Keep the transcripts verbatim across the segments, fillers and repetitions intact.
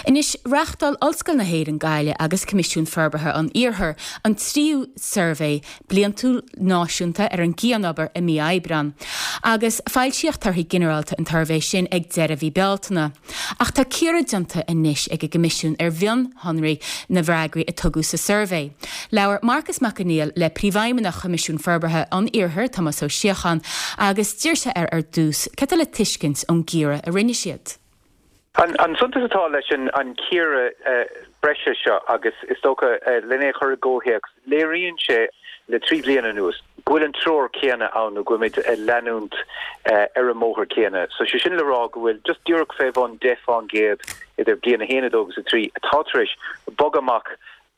Anois reáchtáil Ollscoil na hÉireann Gaillimh agus Coimisiún Forbartha an Iarthair an tríú suirbhé bliantúil náisiúnta ar an gcianobair i mí Aibreáin. Agus foilsíodh torthaí ginearálta an tsuirbhé sin ag deireadh mhí Bealtaine. Ach tá cíoradh déanta anois ag an gCoimisiún ar mhionsonraí na bhfreagraí a tugadh sa suirbhé. Labhair Marcas Mac Conghail le Príomhfheidhmeannach Choimisiún Forbartha an Iarthair Tomás Ó Síocháin agus d'iarr sé air ar dtús cad é le tuiscint ón gcíoradh a rinne siad. An, an suntas atá leis an, an cíoradh uh, breise seo agus is dócha uh, lena chur i gcomhthéacs léiríonn sé le trí bliana anuas. Go bhfuil an treoir céanna ann nó go bhfuilimid ag leanúint uh, ar an mbóthar céanna. So sé sin le rá go bhfuil just díreach fé bhun deich faoin gcéad idir bliain a haon a dó agus a trí atá tar éis bogadh amach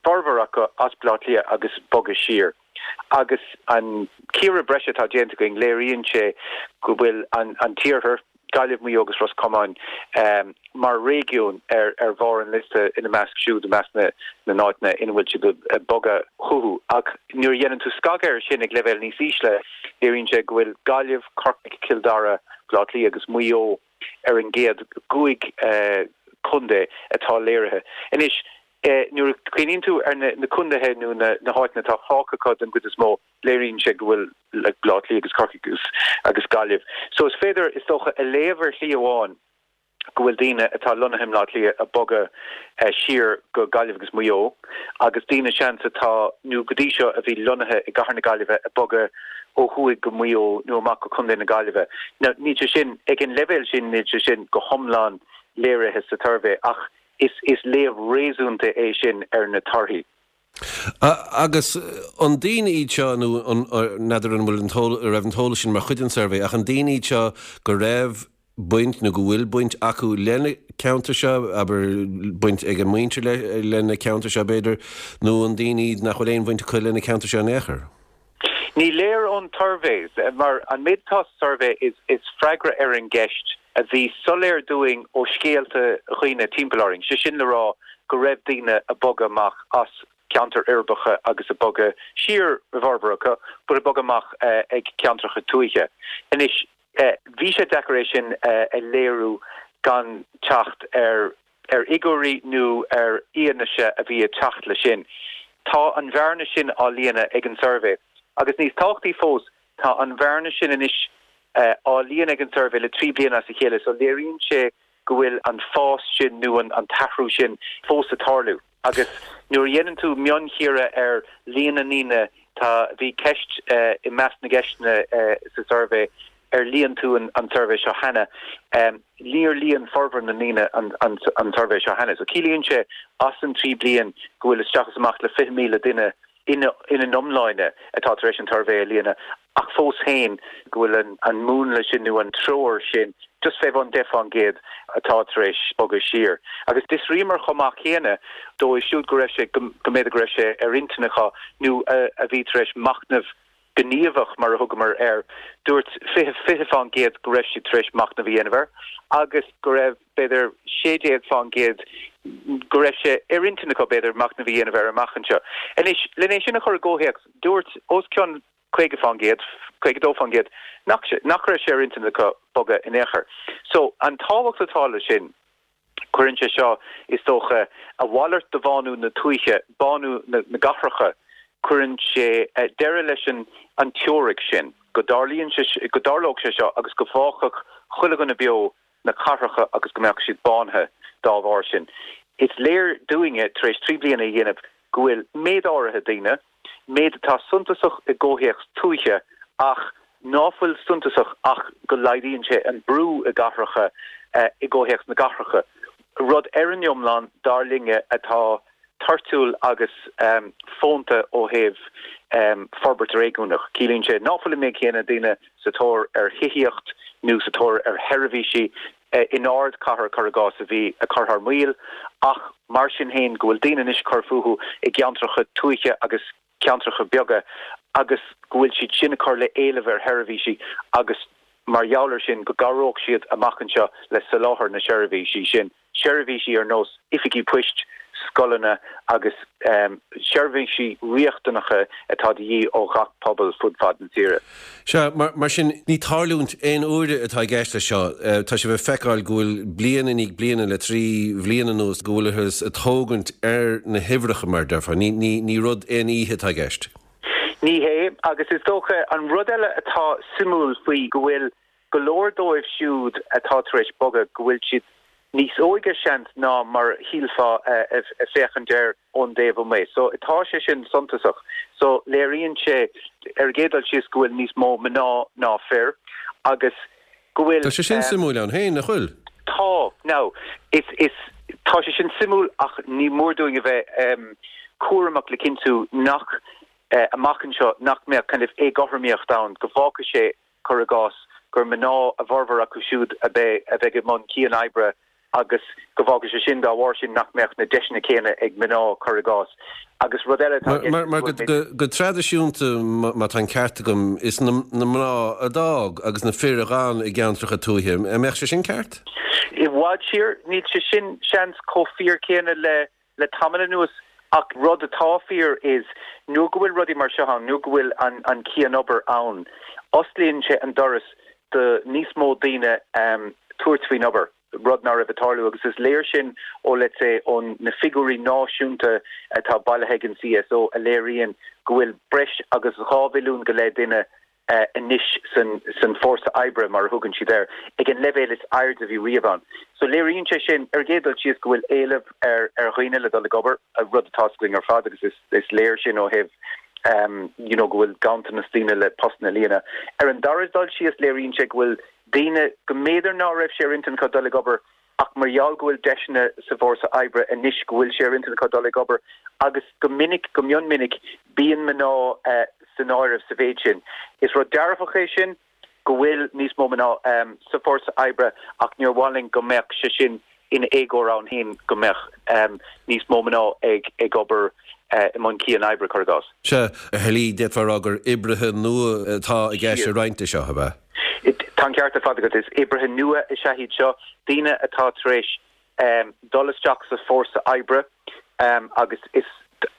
formhór acu as Baile Átha Cliath agus bogadh siar. Agus an cíoradh breise atá déanta againn léiríonn sé go bhfuil an, an t-iarthar Gaillimh Maigh Eo agus Ros Comáin um, mar réigiún ar ar bharr an liosta ina measc siúd i measc na na n-áiteanna ina bhfuil siad ag bogadh chucu ach nuair a dhéanann tú scagadh air sin ag leibhéal níos ísle léiríonn sé go bhfuil Gaillimh Corcaigh Cill Dara Baile Átha Cliath agus Maigh Eo ar an gcéad cúig uh, contae atá léirithe. Anois eh, nuair a chuimhníonn tú ar na, na contaetha nó na, na háiteanna atá fágtha den gcuid is mó léiríonn sé go bhfuil le Baile Átha Cliath agus Corcaigh agus, agus Gaillimh. So is féidir is dócha a léamh ar shlí amháin go bhfuil daoine atá lonnaithe i mBaile Átha Cliath ag bogadh uh, siar go Gaillimh agus Maigh Eo agus daoine seans atá nó go dtí seo a bhí lonnaithe i gcathair na Gaillimhe ag bogadh ó thuaidh go Maigh Eo nó amach go Contae na Gaillimhe. Now níl sé sin ag an leibhéal sin níl sé sin go hiomlán léirithe sa tsuirbhé ach is is léamh réasúnta é sin ar na torthaí. Agus an daoine iad seo nó n'fheadar an bhfuil raibh an t-eolas sin mar chuid den suirbhé ach an daoine iad seo go raibh baint nó go bhfuil baint acu lena ceantar seo abair baint ag a muintir le lena ceantar seo b'fhéidir nó an daoine nach bhfuil aon bhaint acu lena ceantar seo in aon chor. Ní léir ón tsuirbhé mar an méid atá sa suirbhé is, is freagra ar an gceist a bhí soiléir dúinn ó scéalta dhaoine timpeall orainn. sé sin le rá go raibh daoine ag bogadh amach as ceantair uirbeacha agus ag bogadh siar formhór acu, but ag bogadh amach uh, ag ceantracha tuaithe. Anois uh, bhí sé deacair é sin uh, a léiriú gan teacht ar ar fhigiúirí nó ar fhianaise a bhí ag teacht le sin. Tá an bhearna sin á líonadh ag an suirbhé. Agus níos tábhachtaí fós tá an bhearna sin anois uh, á líonadh ag an suirbhé le trí bliana as a chéile, so léiríonn sé go bhfuil an fás sin nó an, an t-athrú sin fós ag tarlú. Agus nuair a dhéanann tú mionchíoradh ar líon na ndaoine tá bhí ceist uh, i measc na gceisteanna uh, sa suirbhé ar líon tú an, an suirbhé seo cheana. Um, níor líon formhór na ndaoine an, an, an suirbhé seo cheana. So ciallaíonn sé as an trí bliana go bhfuil isteach is amach le fiche míle duine ina ina n-iomláine atá tar éis an tsuirbhé a líonadh ach fós féin go bhfuil an, an múnla sin nó an treoir sin just fé bhun deich faoin gcéad atá tar éis bogadh siar. Agus d'fhiosraíomar chomh maith céanna dóibh siúd go raibh sé go mb'fhéidir go raibh sé ar intinn acu nó a bhí tar éis machnamh gníomhach mar a thugamar air dúirt fiche fiche faoin gcéad go raibh siad tar éis machnamh a dhéanamh air agus go raibh b'fhéidir sé déag faoin gcéad go raibh sé ar intinn acu b'fhéidir machnamh a dhéanamh air amach anseo. Anois lena sin a chur i gcomhthéacs dúirt os cionn caoga faoin gcéad caoga dó faoin gcéad nach nach raibh sé ar intinn acu bogadh in aon chor. So an tábhacht atá le sin cuireann sé seo is dócha a mhalairt de bhánú na tuaithe bánú na, na gcathracha cuireann sé uh, deireadh leis an an teoiric sin go dtarlaíonn sé go dtarlódh sé seo agus go bhfágfadh chuile dhuine beo na cathracha agus go mbeadh siad bánaithe dá bharr sin. Is léir dúinne tar éis trí bliana a dhéanamh go bhfuil méid áirithe daoine, méid atá suntasach i gcomhthéacs tuaithe ach ná fuil suntasach ach go laghdaíonn sé an brú i gcathracha uh, i gcomhthéacs na gcathracha. Rud ar an iomlán dar linne atá toirtiúil agus um, fónta ó thaobh um, forbairt réigiúnach. Ciallaíonn sé ná fuil an méid céanna daoine sa tóir ar thithíocht nó sa tóir ar sheirbhísí uh, in ardchathair cuir i gcás a bhí ag cur thar maoil, ach mar sin féin go bhfuil daoine anois ag cur fúthu i gceantracha tuaithe agus ceantracha beaga agus go bhfuil siad sin ag cur le éileamh ar sheirbhísí agus mar gheall air sin go gcabhróidh siad amach anseo le soláthar na seirbhísí sin. Seirbhísí ar nós oifigí poist, scoileanna agus seirbhísí riachtanacha atá de dhíth ó ghach pobal fud fad na tíre. Sea, mar, mar sin ní tarlúint aon uaire atá i gceist leis seo. Tá sé le feiceáil go bhfuil bliain i ndiaidh bliana le trí bhliain anuas go bhfuilthas ag tógaint ar na huimhreacha mar a déarfá. Ní, ní, ní rud aon oíche atá i gceist. Ní hé, agus is dócha an rud eile atá suimiúil faoi go bhfuil go leor dóibh siúd atá tar éis bogadh go bhfuil siad níos óige seans ná mar shílfeá ag féachaint air ón dtaobh amuigh. So tá sé sin suntasach. So léiríonn sé ar an gcéad dul síos go bhfuil níos mó mná ná fir agus go bhfuil Tá sé sin suimiúil ann féin, nach bhfuil? Tá, now, is, is, tá sé sin suimiúil ach ní mór dúinn a bheith um, cúramach le cinntiú nach uh, amach anseo nach mbeadh kind of éagothromaíocht ann go bhfágfaidh sé cuir i gcás gur mná a bhformhór acu siúd a bheidh a bheidh i mbun cian-oibre agus go bhfágfaidh sé sin dá bharr sin nach mbeadh na deiseanna céanna ag mná cuir i gcás. Agus rud eile Mar, mar go, go, go traidisiúnta má tá an ceart agam is na, na mná a d'fhág agus na fir a d'fhan i gceantracha tuaithe. An mbeadh sé sin ceart? I bhfad siar níl sé sin seans chomh fíor céanna le le tamall anuas ach rud atá fíor is nuair go bhfuil rudaí mar seo ann, nuair go bhfuil an, an cian-obair ann. Osclaíonn sé an doras do níos mó daoine um, tabhairt faoin obair rud nach raibh ag tarlú agus is léir sin ó let's say ón na figiúirí náisiúnta atá bailithe ag an CSO a léiríonn go bhfuil breis agus dhá mhilliún go leith duine uh, anois san, san fórsa oibre mar a thugann siad air ag an leibhéal is airde a bhí riamh ann. So léiríonn sé sin ar an gcéad dul síos go bhfuil éileamh ar ar dhaoine le dul ag obair a rud atá againn ar fad agus is, is léir sin ó thaobh um, you know, go bhfuil ganntanas daoine le postanna a líonadh. Ar an dara dul síos léiríonn sé go bhfuil daoine go mb'fhéidir nach raibh sé ar intinn acu dul ag obair ach mar gheall go bhfuil deiseanna sa bhfórsa oibre anois go bhfuil sé ar intinn acu dul ag obair agus go minic go mion minic bíonn mná uh, san áireamh sa mhéid sin. Is rud dearfach é sin go bhfuil níos mó mná um, sa fórsa oibre ach níor mhaith linn go mbeadh sé sin ina éagóir ann féin go mbeadh um, níos mó mná ag ag obair uh, i mbun cian-oibre cuir i gcás. Sea, ar shlí d'fhéadfá a rá gur oibrithe nua atá i gceist i roinnt de seo ab ea. Tá an ceart ar fad agat is oibrithe nua is ea iad seo daoine atá tar éis um, dul isteach sa fórsa oibre um, agus is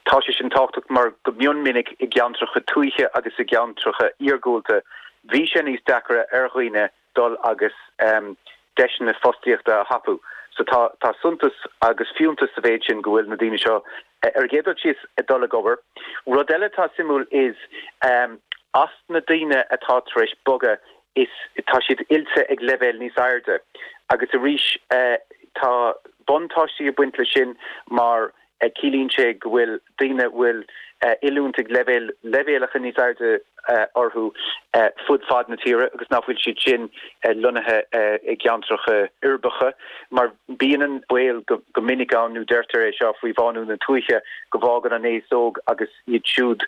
tá sé sin tábhachtach mar go mion minic i gceantracha tuaithe agus i gceantracha iargúlta bhí sé níos deacra ar dhaoine dul agus um, deiseanna fostaíochta a thapú. So tá tá suntas agus fiúntas sa mhéid sin go bhfuil na daoine seo ar an gcéad dul síos ag dul ag obair. Rud eile atá suimiúil is um, as na daoine atá tar éis bogadh is tá siad oilte ag leibhéal níos airde. Agus arís uh, tá buntáistí ag baint leis sin mar uh, ciallaíonn sé go bhfuil daoine bhfuil uh, oiliúint ag leibhéal leibhéalacha níos airde uh, orthu uh, fud fad na tíre agus nach bhfuil siad sin uh, lonnaithe uh, i gceantracha uirbeacha mar bíonn an baol go, go minic ann nó deirtear é seo faoi bhánú na tuaithe go bhfágann an aos óg agus iad siúd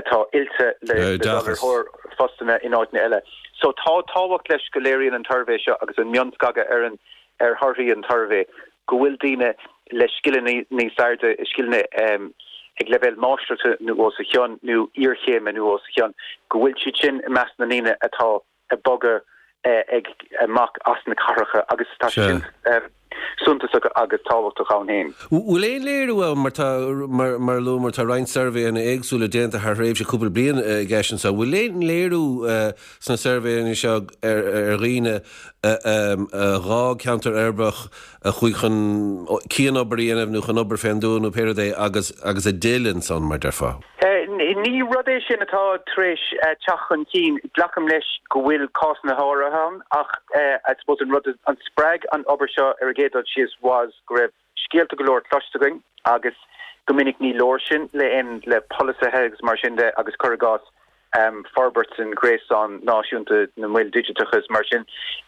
atá oilte le, le dul ar thóir postanna in áiteanna eile. So tá tábhacht leis go léiríonn an tsuirbhé seo agus an mionscagadh ar an ar thorthaí an tsuirbhé go bhfuil daoine le scileanna níos airde scileanna um, ag leibhéal máistreachta nó os a chionn nó iarchéime nó os a chionn go bhfuil siad sin i measc na ndaoine atá ag bogadh eh, ag amach as na cathracha agus tá sin eh, suntasach agus tábhachtach ann féin. Bhfuil aon léiriú mar tá mar mar lu mar tá roinnt suirbhéanna éagsúla déanta thar thréimhse cúpla bliain i gceist anseo. Bhfuil aon léiriú sna suirbhéanna seo ar ar dhaoine dhá ceantar uirbeach a chuaigh chun cian-obair a dhéanamh nó chun obair fén dtuath nó pé rud é agus agus a d'fhill ansan mar a déarfá. Ní rud é sin atá tar éis teacht chun cinn glacaim leis go bhfuil cásanna áirithe ann ach I suppose an rud an spreag an obair seo ar an gcéad dul síos was go raibh scéalta go leor cloiste againn agus go minic ní leor sin le in le polasaithe agus mar sin de agus cuir i gcás um, forbairt an gréasán náisiúnta na moil digiteacha mar sin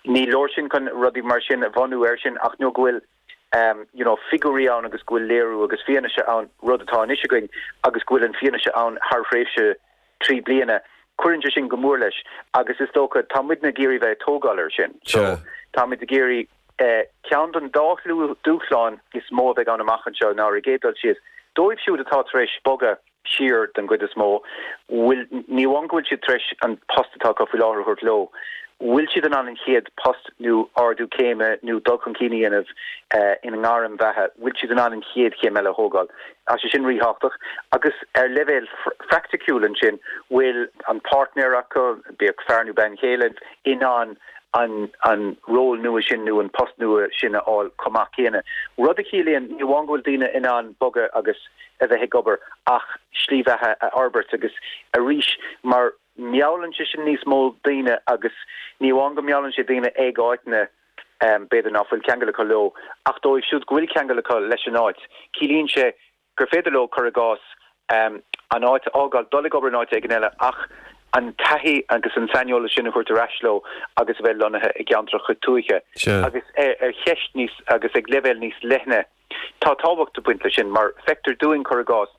ní leor sin chun rudaí mar sin a bhunú air sin ach nó go bhfuil um, you know, figiúirí ann agus go bhfuil léiriú agus fianaise ann rud atá anois againn agus go bhfuil an fianaise ann thar thréimhse trí bliana. Cuireann sé sin go mór leis agus is dócha tá muid ag iarraidh bheith ag tógáil air sin. So táimid ag iarraidh eh, ceann den dá dúshlán is mó a bheidh ann amach anseo ná ar an gcéad dul síos. Dóibh siúd atá tar éis bogadh siar den gcuid is mó, bhfuil ní amháin go bhfuil siad tar éis an post atá acu faoi láthair a thabhairt leo, bhfuil siad in ann an chéad post nó ardú céime nó dul chun cinn a dhéanamh ina ngairm bheatha, bhfuil siad in ann an chéad chéim eile a thógáil. Tá sé sin ríthábhachtach. Agus ar leibhéal phraiticiúil ansin, bhfuil an páirtnéir acu, bíodh fear nó bean chéile, in ann an an ról nua sin nó an post nua sin a fháil chomh maith céanna. Rud a chiallaíonn ní amháin go bhfuil daoine in ann bogadh agus a bheith ag obair ach slí bheatha a fhorbairt agus arís mar meallann sé sin níos mó daoine agus ní amháin go meallann sé daoine ag áiteanna b'fhéidir nach bhfuil ceangal acu leo ach dóibh siúd go bhfuil ceangal acu leis an áit, ciallaíonn sé gur féidir leo cur i gcás an áit a fhágáil, dul ag obair in áit éigin eile ach an taithí agus an saineolas sin a thabhairt ar ais leo agus a bheith lonnaithe i gceantracha tuaithe. Agus ar cheist níos agus ag leibhéal níos leithne, tá tábhacht ag baint leis sin mar feictear dúinn cur i gcás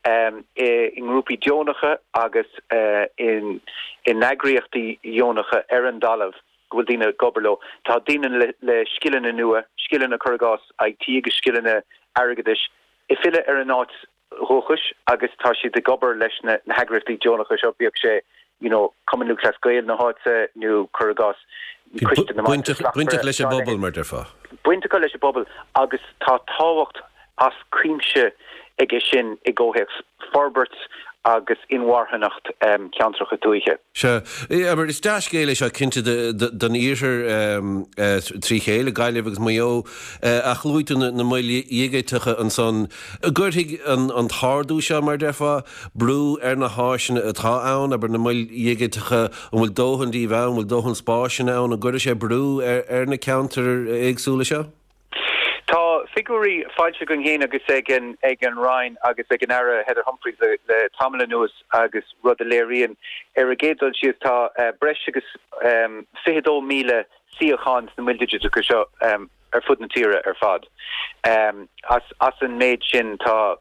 i ngrúpaí deonacha agus in eagraíochtaí deonacha ar an dtalamh go bhfuil daoine ag obair leo. Tá daoine le scileanna nua, scileanna cur i gcás IT agus scileanna airgeadais, ag filleadh ar an áit dhúchais agus tá siad ag obair leis na heagraíochtaí deonacha seo, bíodh sé you know Cumann Lúthchleas Gael na háite nó cur i gcás Coiste na mBailte Slachtmhara. Baint acu leis an bpobal mar déarfá. Baint acu leis an bpobal agus tá tábhacht as cuimse aige sin i gcomhthéacs forbairt agus inmharthanacht ceantracha tuaithe. Sea, mar is dea-scéal é seo cinnte don iarthar trí chéile, Gaillimh agus Maigh Eo, ach luaigh tú na moil dhigiteacha ansan. An gcuirfidh an t-ardú seo, mar déarfá, brú ar na háiseanna atá ann, abair na moil dhigiteacha, an bhfuil dóthain díobh ann, an bhfuil dóthain spásanna ann, an gcuirfidh sé brú ar na ceantair éagsúla seo? Tá figiúirí foilsithe againn féin agus ag an ag an Roinn agus ag an Aire Heather Humphreys le le tamall anuas agus rud a léiríonn ar an gcéad dul síos tá breis agus fiche dó míle suíochán sna moil digiteacha seo ar fud na tíre ar fad. As as an méid sin tá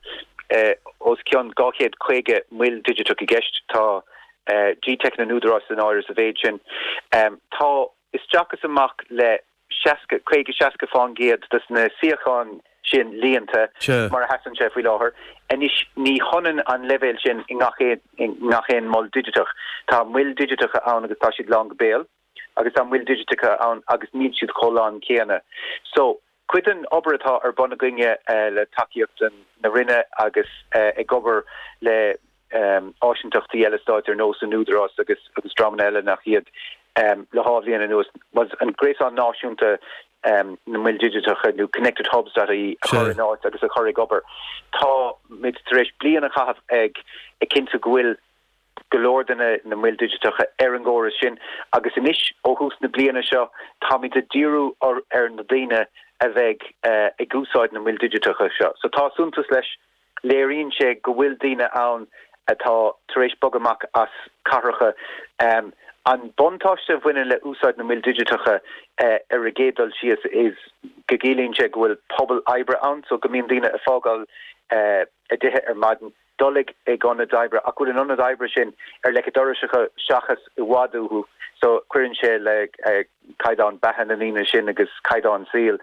os cionn dhá chéad caoga moil digiteach i gceist. Tá G-Teic na nÚdarás san áireamh sa mhéid sin. Tá isteach is amach le seasca, caoga, seasca fán gcéad de na suíocháin sin líonta mar a sheasann sé faoi láthair. Anois, ní hionann an leibhéal sin i ngach aon, i ngach aon mol digiteach. Tá moil digiteacha ann agus tá siad lán go béal, agus tá moil digiteacha ann agus níl siad chomh lán céanna. So, cuid den obair atá ar bun againne le tacaíocht na Roinne agus ag obair le áisinteachtaí eile stáit ar nós an Údarás agus agus dreamanna eile nach iad le dhá bhliain anuas was an gréasán náisiúnta na moil digiteacha nó connected hubs dot ie a chur in áit agus a chur ag obair. Táimid tar éis bliain a chaitheamh ag ag cinntiú go bhfuil go leor de na moil digiteacha ar an gcóras sin agus anois ó thús na bliana seo táimid ag díriú ar na daoine a bheidh ag úsáid na moil digiteacha seo. So tá suntas leis Léiríonn sé go bhfuil daoine ann atá tar éis bogadh amach as cathracha. An buntáiste a bhaineann le úsáid na moil digiteacha ar an gcéad dul síos is go gciallaíonn sé go bhfuil pobal oibre ann, so go mbíonn daoine ag fágáil a dtithe ar maidin, dul ag ionaid oibre ach go bhfuil an ionad oibre sin ar leic an dorais acu seachas i bhfad uathu, so cuireann sé le caighdeán beatha na ndaoine sin agus caighdeán saoil.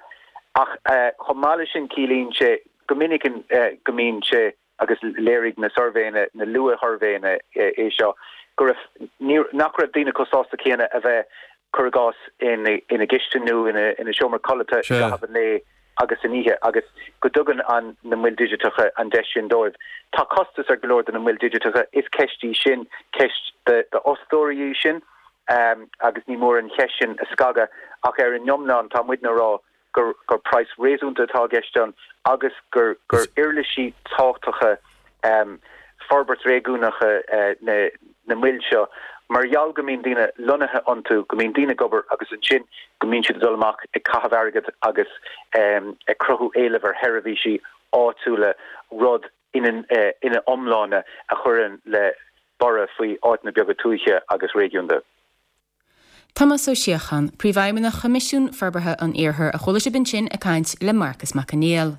Ach chomh maith leis sin ciallaíonn sé go minic go mbíonn sé, agus léirigh na suirbhéanna, na luath-shuirbhéanna é seo, go raibh, nach raibh daoine chomh sásta céanna a bheith, cur i gcás, ina gcistin nó ina seomra codlata i gcaitheamh an lae agus san oíche agus go dtugann an na moil digiteacha an deis sin dóibh. Tá costas ar go leor de na moil digiteacha, is ceist í sin, ceist d'fhostóirí í sin agus ní mór an cheist sin a scagadh ach ar an iomlán tá muidne ag rá gur gur praghas réasúnta atá i gceist ann agus gur gur uirlisí tábhachtacha forbairt réigiúnacha na na moil seo mar gheall go mbíonn daoine lonnaithe iontu, go mbíonn daoine ag obair agus ansin go mbíonn siad ag dul amach ag caitheamh airgid agus ag cruthú éileamh ar sheirbhísí áitiúla, rud ina ina iomláine a chuireann le borradh faoi áiteanna beaga tuaithe agus réigiúnda. Tomás Ó Síocháin, Príomhfheidhmeannach Choimisiún Forbartha an Iarthair a chuala sibh ansin ag caint le Marcas Mac Conghail.